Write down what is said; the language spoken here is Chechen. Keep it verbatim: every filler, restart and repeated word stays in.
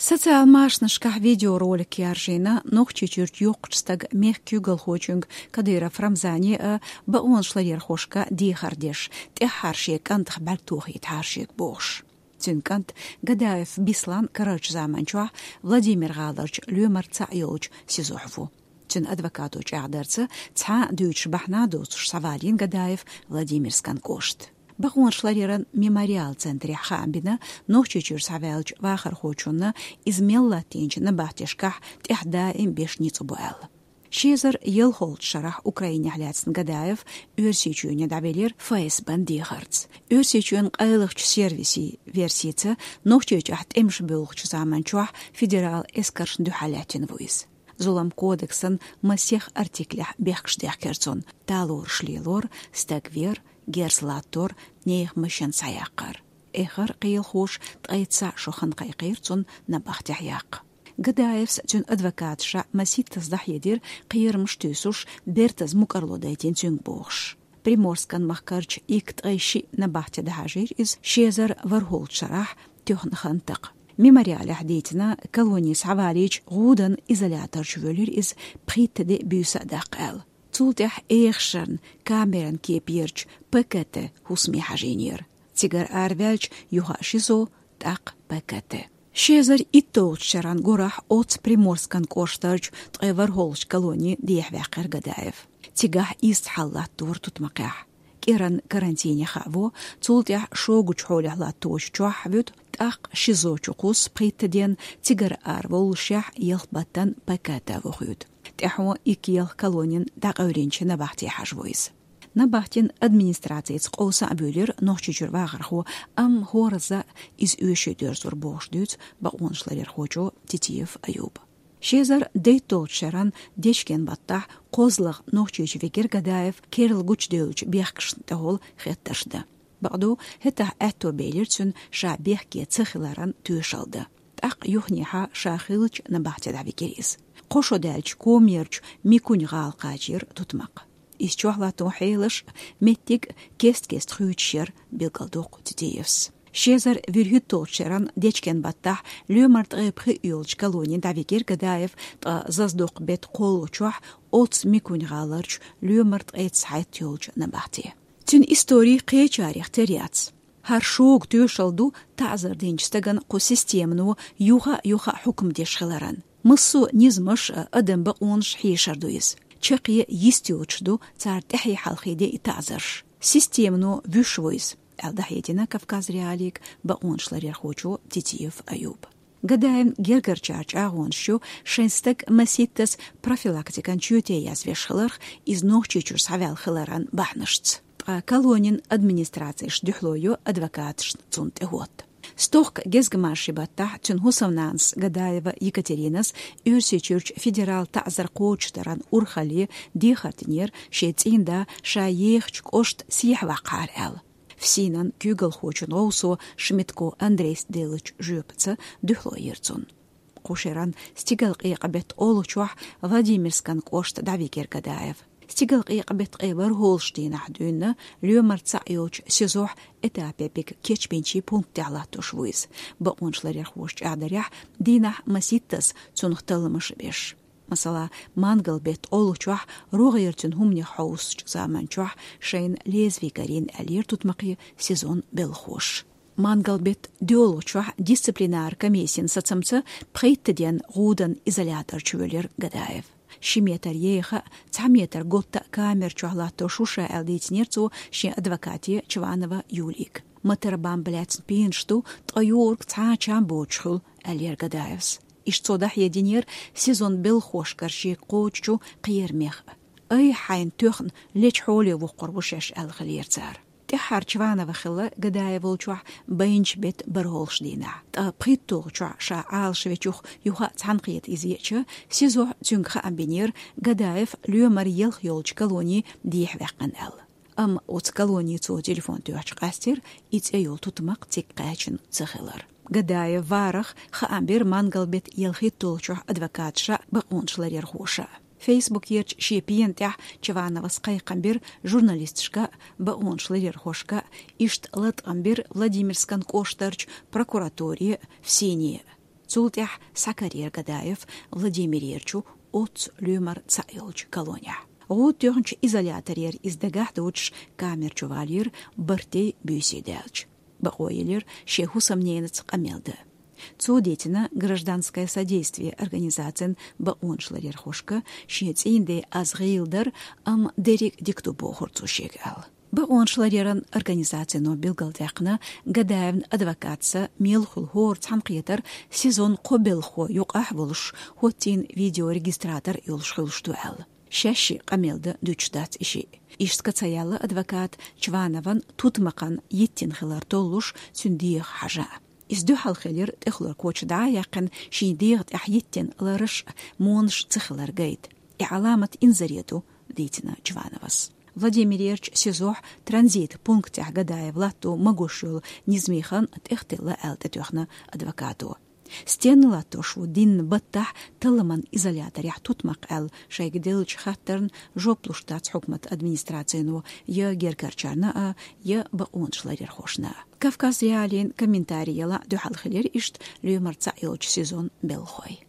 Социал машанашкахь видеоролик яржийна Нохчийчуьрчу йоккхачу стага мехкан куьйгалхочуьнга Кадыров Рамзане а, бакъонашларъярхошка дехар деш, тӀаьххьара шен кӀантах бӀаьрг тохийтахьара шега бохуш. Цуьнан кӀант Гадаев Беслан карарчу заманчохь Владимир-гӀаларчу лоьмар цхьаъ йолчу СИЗО-хь ву. Цуьнан адвокато чӀагӀдарца, цхьа а дуьйцуш бахьана доцуш схьавалийна Гадаев Владимирскан кӀошта. Бакъонашларъяран мемориал центрехь хаам бина Нохчийчуьра схьаваьллачу вахархочунна, иза мел латтийначу набахтешкахь тӀаьхьа даим беш ницкъ бу аьлла. Ши эзар ялхолгӀачу шарахь Украинехь лаьцна Гадаев Оьрсийчоьне дӀавелира ФСБ-н дехарца. Оьрсийчоьнан къайлахчу сервисийн версица, Нохчийчохь тӀемаш боьлхучу заманчохь федерал эскаршна дуьхьал лаьттина ву иза. Зулам кодексан масех артиклехь бехкаш дехкира цунна: талораш лелор, стаг вер, герз латтор, нехан машен схьаяккхар. Эххар кхелахоша ткъе цхьаъ шо хан кхайкхийра цунна набахтехь яккха. Гадаевс, цуьнан адвокаташа маситтаза дӀахьедира, кхерамаш туьйсуш, бертаза мукӀарло дайтина цуьнга бохуш. Приморскан махкарчу иккхе ткъе шиъ набахте дӀахьажийра иза ши эзар ворхӀолгӀачу шарахь, тоьхна хан такха. Мемориалехь дийцина, колоне схьавалийча гӀуданан изоляторчу воьлира иза пхийтта де буьйса а даккха аьлла. Цул тӀаьхьа эхашарна камеран кепе ярчу ПКТ хӀусаме хьажийнера. Цигара араваьлча, юха ШИЗО, тӀаккха ПКТ. Ши эзар итталгӀачу шеран гурахь оццу Приморскан кӀоштарчу ткъе ворхӀолгӀачу колоне дехьаваьккхира Гадаев. Цигахь ист хьал латтора тутмакхехь. КӀиран карантине хаво, цул тӀаьхьа шогачу хьолехь латточу чохь вуьту, тӀаккха ШИЗО чу кхуссу пхийтта ден, цигара араволлушехь, ялх баттан ПКТ вохуьйту. ТӀаьхьо иккхе-ялх колонин дӀакъевлинчу набахте хьажаво иза. Набахтин администрацица къовса а буьйлира Нохчийчуьра вахархо, амма хӀоразза иза оьшуш дерзор бохуш дуьйцу бакъонашларъярхочо Титиев Аюба. Ши эзар дейтталгӀачу шеран дечкен баттахь кхозлагӀа Нохчийчу вигира Гадаев керла гучудевллачу бехкашна тӀехула хеттарш дан. Бакъду, хӀетахь аьтто белира цуьнан ша бехке ца хиларан тоьшалла дан. ТӀаккха юханехьа ша хиллачу набахте дӀавигира иза. Кхо шо даьлча комаерчу Микунь-гӀала кхачийра тутмакх. Иза чохь латтон хьелаш, меттиг кест-кеста хуьйцуш яра, билгалдоккху Титиевс. Ши эзар вуьрхӀитталгӀачу шеран дечкен баттахь лоьмар ткъе пхиъ йолчу колоне дӀавигира Гадаев, ткъа зазадоккху беттан кхоалгӀачохь оццу Микунь-гӀаларчу лоьмар ткъе цхьайтта йолчу набахте. Цуьнан истори кхечарех тера яц. ХӀара шога тоьшалла ду таӀзар динчу стагана кху системано юха а, юха а хьукам деш хиларан. Массо а низамаш а, адам бакъонаш хьешар ду иза. Чаккхе йист йоцуш ду цара тӀаьхье хьалхе деа таӀзарш. Системано вуьш ву иза, аьлла дӀахьедина Кавказ.Реалиига бакъонашларъярхочо Титиев Аюба. Гадаевн гергарчара чӀагӀонаш ю шайн стаг маситтаза профилактикан чоьте язвеш хиларх, иза Нохчийчуьра схьаваьлла хиларан бахьанашца. Ткъа колонин администрацеш дуьхьало йо адвокаташна цунна тӀехӀотта. Стохка гезгмашин баттахь цуьнан хӀусамнанас Гадаева Екатеринас Оьрсийчуьрчу федерал таӀзар кхочушдаран урхалле дехар динера шен цӀийнда ша ехачу кӀошта сехьаваккхахьара аьлла. ФСИН-ан куьйгалхочун гӀовсо Шмидтко Андрейс деллачу жоьпаца дуьхьало йира цунна. Кху шеран стигалкъекъа беттан олучохь Владимирскан кӀошта дӀавигира Гадаев. Стигалкъекъа беттан ткъе ворхӀолгӀачу дийнахь дуьйна лоьмар цхьаъ йолчу СИЗО-хь этапе биг кечбинчийн пунктехь латтош ву иза, бакъонашларъярхоша чӀагӀдарехь, дийнахь маситтаза цунах талламаш а беш. Масала, мангал беттан олучохь рогӀера цуьнан хӀуманех хьовсучу заманчохь шайна лезвий карийна аьллера тутмакхе СИЗО-н белхахоша. Мангал беттан доьалгӀачохь дисциплинар комиссин сацамца пхийтта ден гӀудан изоляторчу воьлира Гадаев. Ши метр еха а, цхьа метр готта а камер чохь латтош ву ша аьлла дийцинера цо шен адвокате Чванова Юлига. Мотор-бамба лаьцна пенаш ду, ткъа юург цхьа а чам боцуш хуьлу, аьллера Гадаевс. Иштта цо дӀахьединера СИЗО-н белхахошкара шега кхочучу кхерамех а. Ай, хьайна тоьхна лечу хьоле воккхур ву шаьш аьлла хилира цара. ТӀаьххьара Чванова хилла Гадаев волчохь байначу беттан бархӀолгӀачу дийнахь. Ткъа пхийтталгӀачохь ша Ӏалашвечух юха а цхьаьнакхета иза еача, СИЗО-хь цуьнга хаам бинера, Гадаев лоьмар ялх йолчу колоне дехьаваьккхина аьлла. Амма оцу колоне цо телефон тоьхча къаьстира и цӀе йолу тутмакх цига кхаьчна ца хилар. Гадаев варах хаам бира мангал беттан ялхитталгӀачохь адвокаташа а, бакъонашларъярхоша а. Фейсбукерчу шен пена тӀехь Чвановас кхайкхам бира журналисташка а, бакъонашларъярхошка а, иштта латкъам бира Владимирскан кӀоштарчу прокуратуре а, ФСИН-е а. Цул тӀаьхьа схьакарайир Гадаев Владимирерчу оццу лоьмар цхьаъ йолчу колонехь. ГӀуда тоьхначу изоляторера иза дагахь доцуш камера чу валийра, барт буьйса даьлча. Бакъо елира шен хӀусамненаца къамел дан. Цо дийцина «Гражданское содействие» организацин бакъонашларъярхошка шен цӀийнан ден аз гӀийла дара, амма дерриг дика ду бохура цо шега аьлла. Бакъонашларъяран организацино билгалдаьккхина, Гадаевн адвокатца мел хуьлу хӀора цхьаьнакхетар СИЗОн кхо белхахо юкъахь а волуш, хӀоттийна видеорегистратор йолуш хуьлуш ду аьлла. Шаьшшиъ къамел дан дуьтуш дац и шиъ. Иштта ца яьлла адвоката, Чванован тутмакхан йиттина хилар толлуш, цуьнан дегӀах хьажа. Иза дуьхьал хилира тӀехулара коча дӀа а яьккхина, шен дегӀа тӀехь йиттина лараш а, монаш а ца хилар гайта. И Ӏаламат инзаре ду, дийцина Чвановас. Владимирерчу СИЗОхь транзит пунктехь Гадаев латто магош йолу низамийн хан тӀехтелла аьлла тӀетоьхна адвокато. Стенна латтош ву дийнна баттахь талламан изоляторехь тутмакх аьлла шайга деллачу хаттарна жоп луш дац хьукмат администрацино я герггарчарна а, я бакъонашларъярхошна а. Кавказ.Реалиин комментари ялахь дуьхьал хилира иштта лоьмар цхьаъ йолчу СИЗОн белхахой.